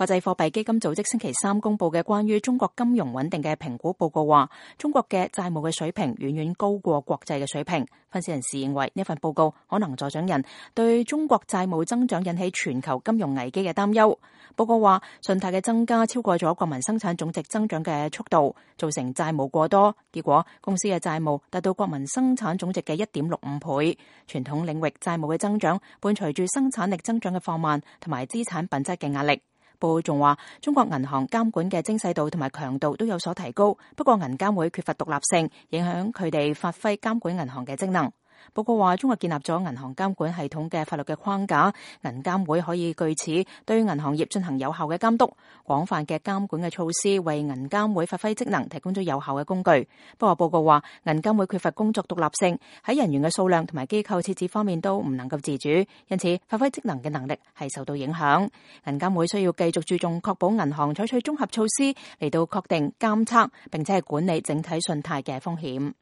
國際貨幣基金組織星期三公布嘅關於中國金融穩定嘅評估報告話，中國嘅債務嘅水平遠遠高過國際嘅水平。分析人士認為呢份報告可能助長人對中國債務增長引起全球金融危機嘅擔憂。報告話，信貸嘅增加超過咗國民生產總值增長嘅速度，造成債務過多，結果公司嘅債務達到國民生產總值嘅1.65倍。傳統領域債務嘅增長伴隨住生產力增長嘅放慢同埋資產品質嘅壓力。報告仲話，中國銀行監管嘅精細度同埋強度都有所提高，不過銀監會缺乏獨立性，影響佢哋發揮監管銀行嘅職能。報告話，中國建立咗銀行監管系統嘅法律嘅框架，銀監會可以據此對銀行業進行有效嘅監督。廣泛嘅監管嘅措施為銀監會發揮職能提供咗有效嘅工具。不過報告話，銀監會缺乏工作獨立性，喺人員嘅數量同埋機構設置方面都唔能夠自主，因此發揮職能嘅能力係受到影響。銀監會需要繼續注重確保銀行採取綜合措施嚟到確定監測並且係管理整體信貸嘅風險。